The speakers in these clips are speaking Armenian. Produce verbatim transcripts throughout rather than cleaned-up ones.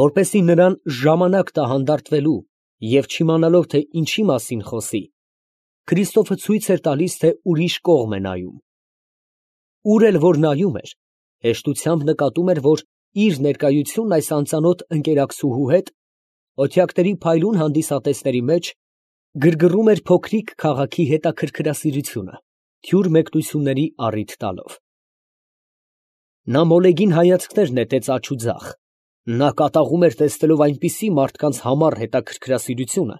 Որպեսզի նրան ժամանակ տա հանդարտվելու և չիմանալով, թե ինչի մասին խոսի, Քրիստոֆը ցույց էր տալիս, թե ուրիշ կողմ է նայում. ուր էլ որ նայում էր, հեշտությամբ նկատում էր, որ իր ներկայությունն այս անծանոթ ընկերակցուհու հետ, օթյակների փայլուն հանդիսատեսների մեջ, գրգռում էր փոքրիկ քաղաքի հետաքրքրասիրությունը, թյուր մեկնությունների առիթ տալով։ Նա մոլեգին հայացքներ նետեց աջ ու ձախ, նա կատաղում էր տեսնելով այնպիսի մարդկանց համառ հետաքրքրասիրությունը,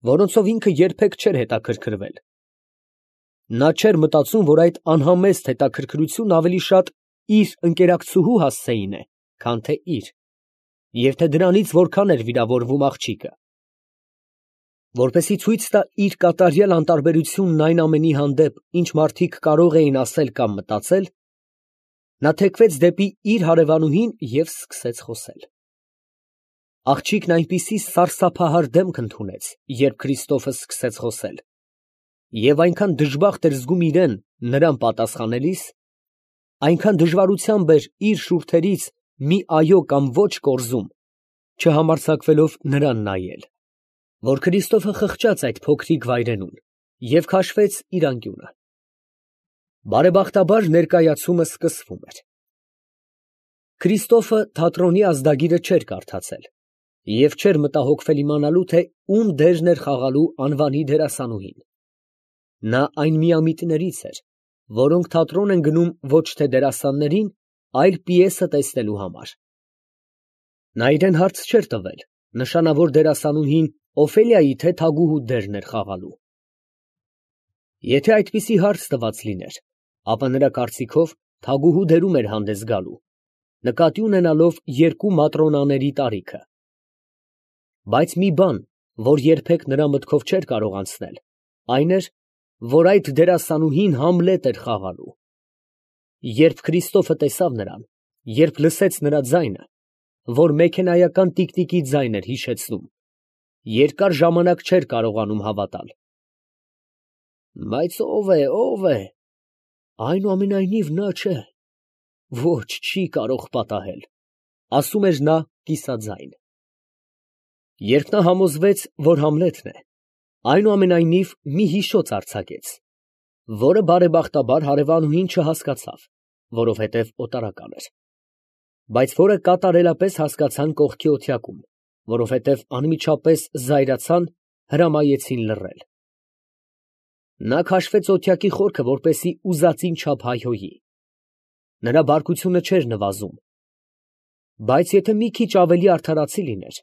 որոնցով ինքը երբեք չէր հետաքրքրվել. նա չէր մտածում, որ այդ անհամեստ հետաքրքրությունն ավելի շատ իր ընկերակցուհու հասցեին է, քան թե իր, և թե դրանից որքան էր վիրավորվում աղջիկը։ Որպեսզի ցույց տա իր կատարյալ անտարբերությունն այն ամենի հանդեպ, ինչ մարդիկ կարող էին ասել կամ մտածել, նա թեքվեց դեպի իր հարևանուհին և սկսեց խոսել։ Աղջիկն այնպիսի սարսափահար դեմք ընդունեց, երբ Քրիստոֆը սկսեց խոսել, և այնքան դժբախտ էր զգում իրան նրան պատասխանելիս, այնքան դժվարությամբ էր իր շուրթերից մի այո կամ ոչ կորզում, չհամարձակվելով նրան նայել, որ Քրիստոֆը խղճաց այդ փոքրիկ վայրենուն և քաշվեց իր անկյունը։ Բարեբախտաբար ներկայացումը սկսվում էր։ Քրիստոֆը թատրոնի ազդագիրը չէր կարդացել և չէր մտահոգվել իմանալու, թե ում դերն էր խաղալու անվանի դերասանուհին։ Նա այն միամիտներից էր, որոնք թատրոն են գնում ոչ թե դերասաններին, այլ պիեսը տեսնելու համար։ Նա իրան հարց չէր տվել, նշանավոր դերասանուհին Օֆելիայի թե թագուհու դերն էր խաղալու։ Եթե այդպիսի հարց տված լիներ, ապա նրա կարծիքով թագուհու դերում էր հանդես գալու, նկատի ունենալով երկու Մատրոնաների տարիքը։ Բայց մի բան, որ երբեք նրա մտքով չէր կարող անցնել, այն էր, որ այդ դերասանուհին Համլետ էր խաղալու։ Երբ Քրիստոֆը տեսավ նրան, երբ լսեց նրա ձայնը, որ մեքենայական տիկնիկի ձայն էր հիշեցնում, երկար ժամանակ չէր կարողանում հավատալ։ Բայց ո՞վ է, ո՞վ է։ Այնուամենայնիվ նա չէ, ոչ, չի կարող պատահել, ասում էր նա կիսաձայն։ Երբ նա համոզվեց, որ Համլետն է, այնուամենայնիվ մի հիշոց արձակեց, որը բարեբախտաբար հարևանուհին չհասկացավ, որովհետև օտարական էր, բայց որը կատարելապես հասկացան կողքի օթյակում, որովհետև անմիջապես զայրացան, հրամայեցին լռել։ Նա քաշվեց օթյակի խորքը, որպեսզի ուզածին չափ հայհոյի։ Նրա բարկությունը չէր նվազում, բայց եթե մի քիչ ավելի արդարացի լիներ,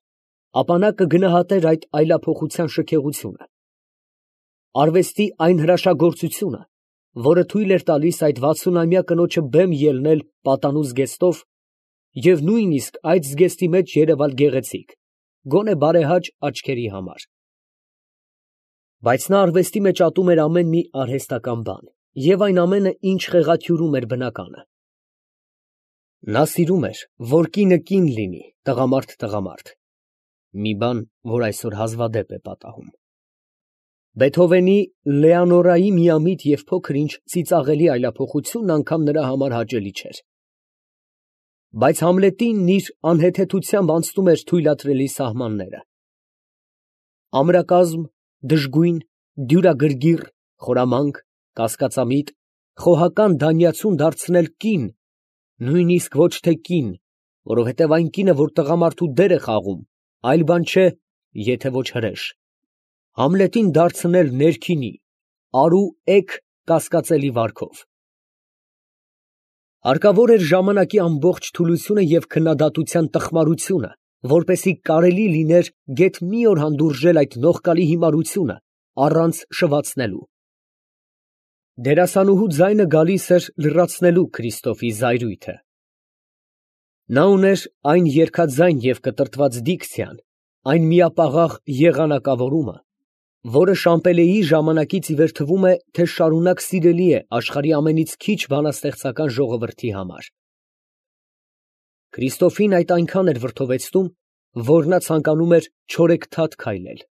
ապա նա կգնահատեր այդ այլափոխության շքեղությունը, արվեստի այն հրաշագործությունը, որը թույլ էր տալիս այդ վաթսունամյա կնոջը բեմ ելնել պատանու զգեստով և նույնիսկ այդ զգեստի մեջ երևալ գեղեցիկ, գոնե բարեհաճ աչքերի համար։ Բայց նա արվեստի մեջ ատում էր ամեն մի արհեստական բան և այն ամենը, ինչ խեղաթյուրում էր բնականը։ Նա սիրում էր, որ կինը կին լինի, տղամարդ տղամարդ, մի բան, որ այսօր հազվադեպ է պատահում։ Բեթհովենի Լեոնորայի միամիտ և փոքր ինչ ծիծաղելի այլափոխությունն անգամ նրա համար հաճելի չէր։ Բայց Համլետինն իր անհեթեթությամբ անցնում էր թույլատրելի սահմանները։ Ամրակազմ, դժգույն, դյուրագրգիռ, խորամանկ, կասկածամիտ, խոհական դանյացուն դարձնել կին, նույնիսկ ոչ թե կին, որովհետև այն կինը, որ տղամարդու դեր է խաղում, այլ բան չէ, եթե ոչ հրեշ, Համլետին դարձնել ներքինի, արու էգ կասկածելի վարքով։ Հարկավոր էր ժամանակի ամբողջ թուլությունը և քննադատության տխմարությունը, որպեսզի կարելի լիներ գեթ մի օր հանդուրժել այդ նողկալի հիմարությունը, առանց շվացնելու։ Դերասանուհու ձայնը գալիս էր լրացնելու Քրիստոֆի զայրույթը։ Նա ուներ այն երգաձայն և կտրտված դիկցիան, այն միապաղաղ եղանակավորումը, որը Շամպելեի ժամանակից ի վեր թվում է, թե շարունակ սիրելի է աշխարհի ամենից քիչ բանաստեղծական ժողովրդի համար։ Քրիստոֆին այդ այնքան էր վրդովեցնում, որ նա ցանկանում էր չորեքթաթ քայլել։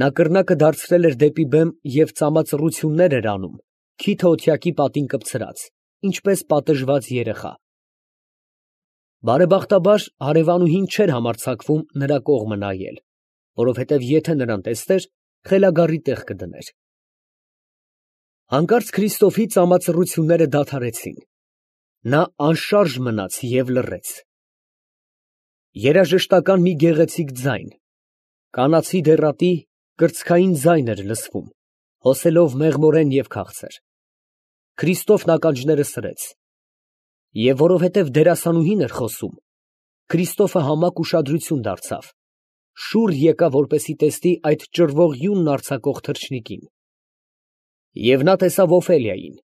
Նա կռնակը դարձրել էր դեպի բեմ և ծամածռություններ էր անում, քիթը օթյակի պատին կպցրած, ինչպես պատժված երեխա։ Բարեբախտաբար հարևանուհին չէր համարձակվում նրա կողմը նայել, որովհետև եթե նրան տեսներ, խելագարի տեղ կդներ։ Հանկարծ Քրիստոֆի ծամածռությունները դադարեցին. նա անշարժ մնաց և լռեց։ Երաժշտական մի գեղեցիկ ձայն, կանացի դեռատի կրծքային ձայն էր լսվում, հոսելով մեղմորեն և քաղցր։ Քրիստոֆն ականջները սրեց, և որովհետև դերասանուհին էր խոսում, Քրիստոֆը համակ ուշադրություն դարձավ, շուռ եկավ, որպեսզի տեսնի այդ ճռվող յունն արձակող թռչնիկին։ Եվ նա տեսավ Օֆելիային.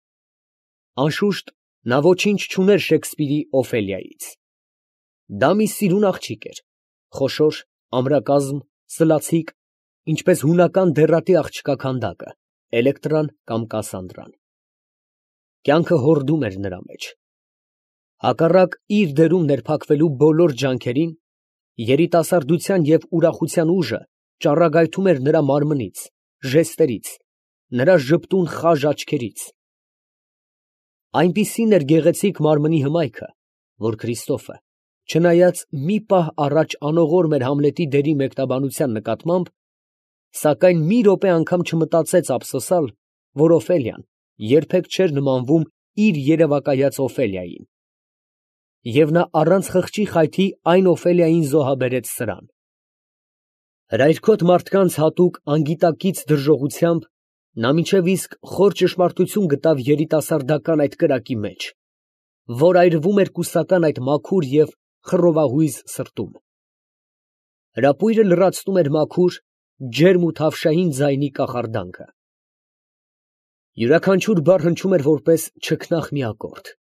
անշուշտ, նա ոչինչ չուներ Շեքսպիրի Օֆելիայից։ Դա մի սիրուն աղջիկ էր, խոշոր, ամրակազմ, սլացիկ, ինչպես հունական դեռատի աղջկա քանդակը, Էլեկտրան կամ Կասանդրան։ Կյանքը հորդում էր նրա մեջ։ Հակառակ իր դերում ներփակվելու բոլոր ջանքերին, երիտասարդության և ուրախության ուժը ճառագայթում էր նրա մարմնից, ժեստերից, նրա ժպտուն խաժ աչքերից։ Այնպիսին էր գեղեցիկ մարմնի հմայքը, որ Քրիստոֆը, չնայած մի պահ առաջ անողորմ էր Համլետի դերի մեկնաբանության նկատմամբ, սակայն մի րոպե անգամ չմտածեց ափսոսալ, որ Օֆելիան երբեք չէր նմանվում իր երևակայած Օֆելիային։ Եվ նա առանց խղճի խայթի այն Օֆելիային զոհաբերեց սրան։ Հրայրքոտ մարդկանց հատուկ անգիտակից դրժողությամբ նա մինչև իսկ խոր ճշմարտություն գտավ երիտասարդական այդ կրակի մեջ, որ այրվում էր կուսական այդ մաքուր և խռովահույզ սրտում։ Հրապույրը լրացնում էր մաքուր, ջերմ ու թավշային ձայնի կախարդանքը։ Յուրաքանչյուր բառ հնչում էր որպես չքնաղ մի ակորդ։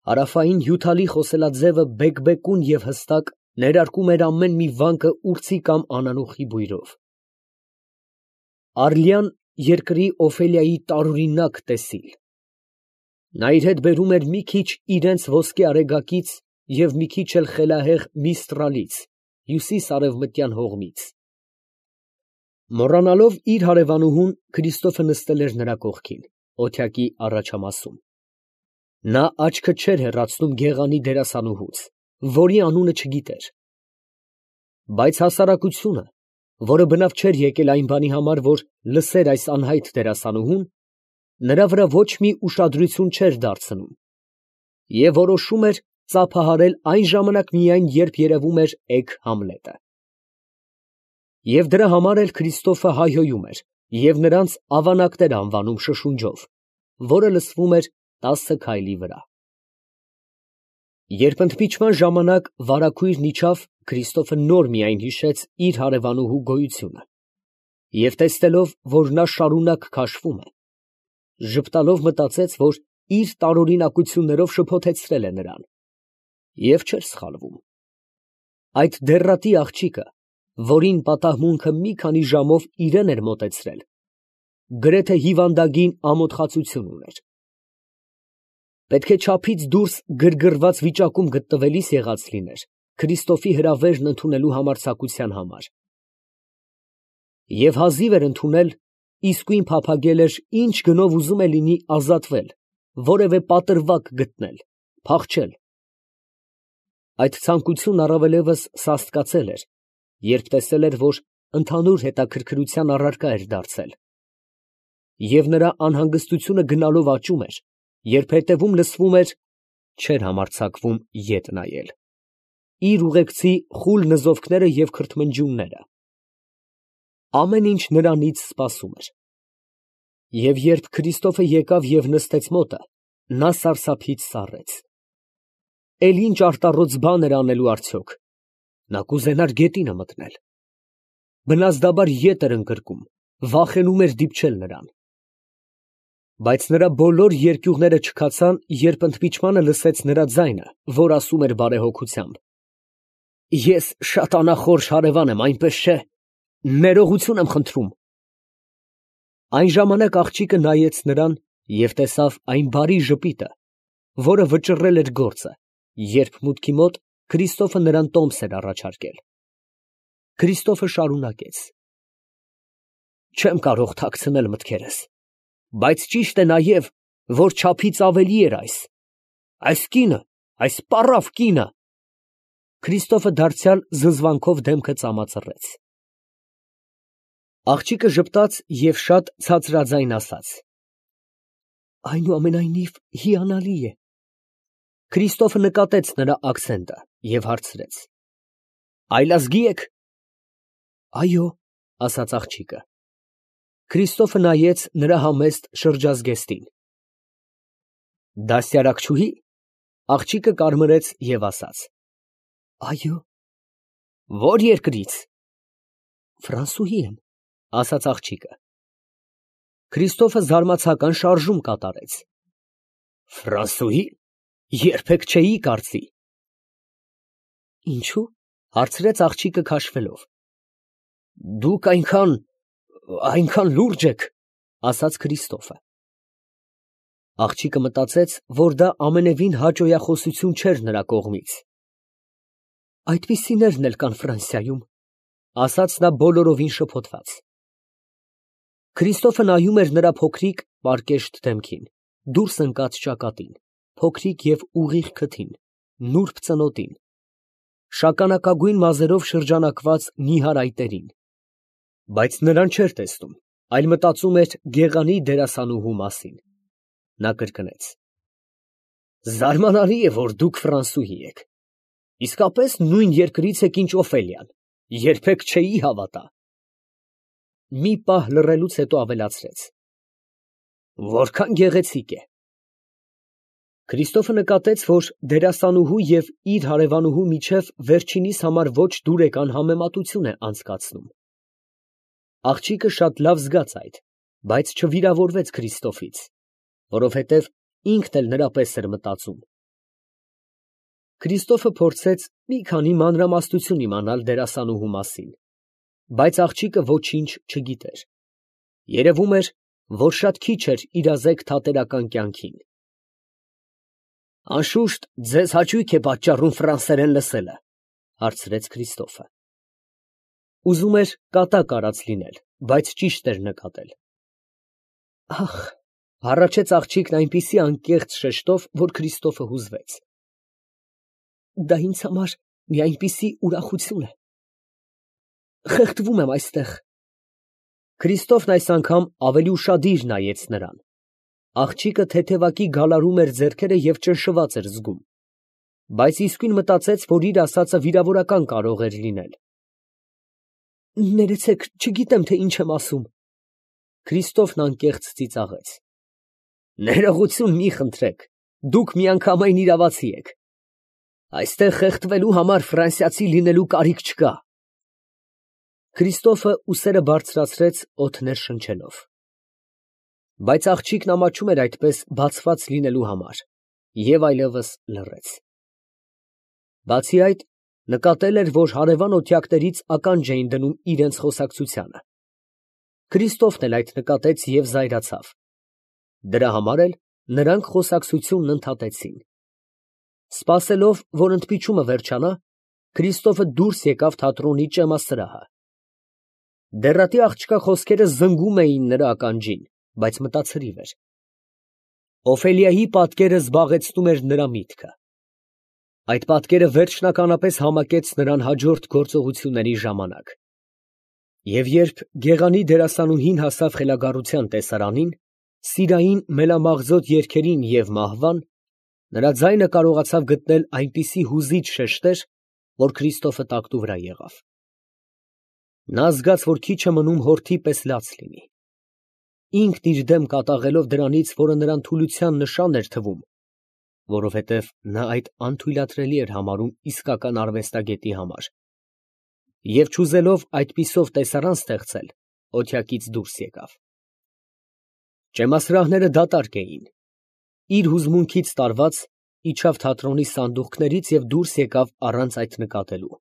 Հարավային հյութալի խոսելաձևը բեկբեկուն և հստակ ներարկում էր ամեն մի վանկը ուրցի կամ անանուխի բույրով։ Արլյան երկրի Օֆելիայի տարօրինակ տեսիլ։ Նա իր հետ բերում էր մի քիչ իրենց ոսկե արեգակից և մի քիչ էլ խելահեղ Միստրալից, հյուսիս֊արևմտյան հողմից։ Մոռանալով իր հարևանուհուն, Քրիստոֆը նստել էր նրա կողքին, օթյակի առաջամասում։ Նա աչքը չէր հեռացնում գեղանի դերասանուհուց, որի անունը չգիտեր։ Բայց հասարակությունը, որը բնավ չէր եկել այն բանի համար, որ լսեր այս անհայտ դերասանուհուն, նրա վրա ոչ մի ուշադրություն չէր դարձնում և որոշում էր ծափահարել այն ժամանակ միայն, երբ երևում էր էգ Համլետը։ Եվ դրա համար էլ Քրիստոֆը հայհոյում էր և նրանց ավանակներ անվանում շշունջով, որը լսվում էր տասը քայլի վրա։ Երբ ընդմիջման ժամանակ վարագույրն իջավ, Քրիստոֆը նոր միայն հիշեց իր հարևանուհու գոյությունը և տեսնելով, որ նա շարունակ քաշվում է, ժպտալով մտածեց, որ իր տարօրինակություններով շփոթեցրել է նրան, և չէր սխալվում։ Այդ դեռատի աղջիկը, որին պատահմունքը մի քանի ժամով իրան էր մոտեցրել, գրեթե հիվանդագին ամոթխածություն ուներ։ Պետք է չափից դուրս գրգռված վիճակում գտնվելիս եղած լիներ Քրիստոֆի հրավերն ընդունելու համարձակության համար։ Եվ հազիվ էր ընդունել, իսկույն փափագել էր ինչ գնով ուզում է լինի ազատվել, որևէ պատրվակ գտնել, փախչել։ Այդ ցանկությունն առավելևս սաստկացել էր, երբ տեսել էր, որ ընդհանուր հետաքրքրության առարկա էր դարձել, և նրա անհանգստությունը գնալով աճում էր, երբ հետևում լսվում էր (չէր համարձակվում ետ նայել) իր ուղեկցի խուլ նզովքները և քրթմնջյունները։ Ամեն ինչ նրանից սպասում էր։ Եվ երբ Քրիստոֆը եկավ և նստեց մոտը, նա սարսափից սառեց։ Էլ ինչ արտառոց բան էր անելու արդյոք. նա կուզենար գետինը մտնել։ Բնազդաբար ետ էր ընկրկում, վախենում էր դիպչել նրան։ Բայց նրա բոլոր երկյուղները չքացան, երբ ընդմիջմանը լսեց նրա ձայնը, որ ասում էր բարեհոգությամբ. «Ես շատ անախորժ հարևան եմ, այնպես չէ՞, ներողություն եմ խնդրում»։ Այն ժամանակ աղջիկը նայեց նրան և տեսավ այն բարի ժպիտը, որը վճռել էր գործը, երբ մուտքի մոտ Քրիստոֆը նրան տոմս էր առաջարկել։ Քրիստոֆը շարունակեց. «Չեմ կարող թաքցնել մտքերս, բայց ճիշտ է նաև, որ չափից ավելի էր այս։ Այս կինը, այս պառավ կինը Քրիստոֆը դարձյալ զզվանքով դեմքը ծամածռեց։ Աղջիկը ժպտաց և շատ ցածրաձայն ասաց. Այնուամենայնիվ հիանալի է։ Քրիստոֆը նկատեց նրա աքսենտը և հարցրեց. Այլազգի եք։ Այո, ասաց աղջիկը։ Քրիստոֆը նայեց նրա համեստ շրջազգեստին։ Դաստիարակչուհի։ Աղջիկը կարմրեց և ասաց. Այո։ Ո՞ր երկրից։ Ֆրանսուհի եմ, ասաց աղջիկը։ Քրիստոֆը զարմացական շարժում կատարեց։ Ֆրանսուհի։ Երբեք չէի կարծի։ Ինչո՞ւ, հարցրեց աղջիկը քաշվելով։ Դուք այնքան, այնքան լուրջ եք, ասաց Քրիստոֆը։ Աղջիկը մտածեց, որ դա ամենևին հաճոյախոսություն չէր նրա կողմից։ Այդպիսիներն էլ կան Ֆրանսիայում, ասաց նա բոլորովին շփոթված։ Քրիստոֆը նայում էր նրա փոքրիկ, պարկեշտ դեմքին, դուրս ընկած ճակատին, փոքրիկ և ուղիղ քթին, նուրբ ծնոտին, շագանակագույն մազերով շրջանակված նիհար այտերին, բայց նրան չէր տեսնում, այլ մտածում էր գեղանի դերասանուհու մասին։ Նա կրկնեց. Զարմանալի է, որ դուք ֆրանսուհի եք։ Իսկապես նույն երկրից եք, ինչ Օֆելիան, երբեք չէի հավատա։ Մի պահ լռելուց հետո ավելացրեց. Որքան գեղեցիկ է։ Քրիստոֆը նկատեց, որ դերասանուհու և իր հարևանուհու միջև վերջինիս համար ոչ դուրեկան համեմատություն է անցկացնում։ Աղջիկը շատ լավ զգաց այդ, բայց չվիրավորվեց Քրիստոֆից, որովհետև ինքն էլ նրա պես էր մտածում։ Քրիստոֆը փորձեց մի քանի մանրամասնություն իմանալ դերասանուհու մասին, բայց աղջիկը ոչինչ չգիտեր։ Երևում էր, որ շատ քիչ էր իրազեկ թատերական կյանքին։ Անշուշտ, ձեզ հաճույք է պատճառում ֆրանսերեն լսելը, հարցրեց Քրիստոֆը։ Ուզում էր կատակ արած լինել, բայց ճիշտ էր նկատել։ Ախ, հառաչեց աղջիկն այնպիսի անկեղծ շեշտով, որ Քրիստոֆը հուզվեց։ Դա ինձ համար մի այնպիսի ուրախություն է։ Խեղդվում եմ այստեղ։ Քրիստոֆն այս անգամ ավելի ուշադիր նայեց նրան։ Աղջիկը թեթևակի գալարում էր ձեռքերը և ճնշված էր զգում, բայց իսկույն մտածեց, որ իր ասածը վիրավորական կարող էր լինել։ Ներեցեք, չգիտեմ, թե ինչ եմ ասում։ Քրիստոֆն անկեղծ ծիծաղեց։ Ներողություն մի խնդրեք, դուք միանգամայն իրավացի եք։ Այստեղ խեղդվելու համար ֆրանսիացի լինելու կարիք չկա։ Քրիստոֆը ուսերը բարձրացրեց օդներ շնչելով։ Բայց աղջիկն ամաչում էր այդպես բացված լինելու համար և այլևս լռեց։ Բացի այդ, նկատել էր, որ հարևան օթյակներից ականջ էին դնում իրենց խոսակցությանը։ Քրիստոֆն էլ այդ նկատեց և զայրացավ։ Դրա համար էլ նրանք խոսակցությունն ընդհատեցին։ Սպասելով, որ ընդմիջումը վերջանա, Քրիստոֆը դուրս եկավ թատրոնի ճեմասրահը։ Դեռատի աղջկա խոսքերը զնգում էին նրա ականջին, բայց մտացրիվ էր։ Օֆելիայի պատկերը զբաղեցնում էր նրա միտքը։ Այդ պատկերը վերջնականապես համակեց նրան հաջորդ գործողությունների ժամանակ։ Եվ երբ գեղանի դերասանուհին հասավ խելագարության տեսարանին, սիրային մելամաղձոտ երգերին և մահվան, նրա ձայնը կարողացավ գտնել այնպիսի հուզիչ շեշտեր, որ Քրիստոֆը տակտու վրա եղավ։ Նա զգաց, որ քիչ է մնում հորթի պես լաց լինի։ Ինքն իր դեմ կատաղելով դրանից, որը նրան թուլության նշան էր թվում, որովհետև նա այդ անթույլատրելի էր համարում իսկական արվեստագետի համար, և չուզելով այդպիսով տեսարան ստեղծել, օթյակից դուրս եկավ։ Ճեմասրահները դատարկ էին։ Իր հուզմունքից տարված, իջավ թատրոնի սանդուղքներից և դուրս եկավ առանց այդ նկատելու։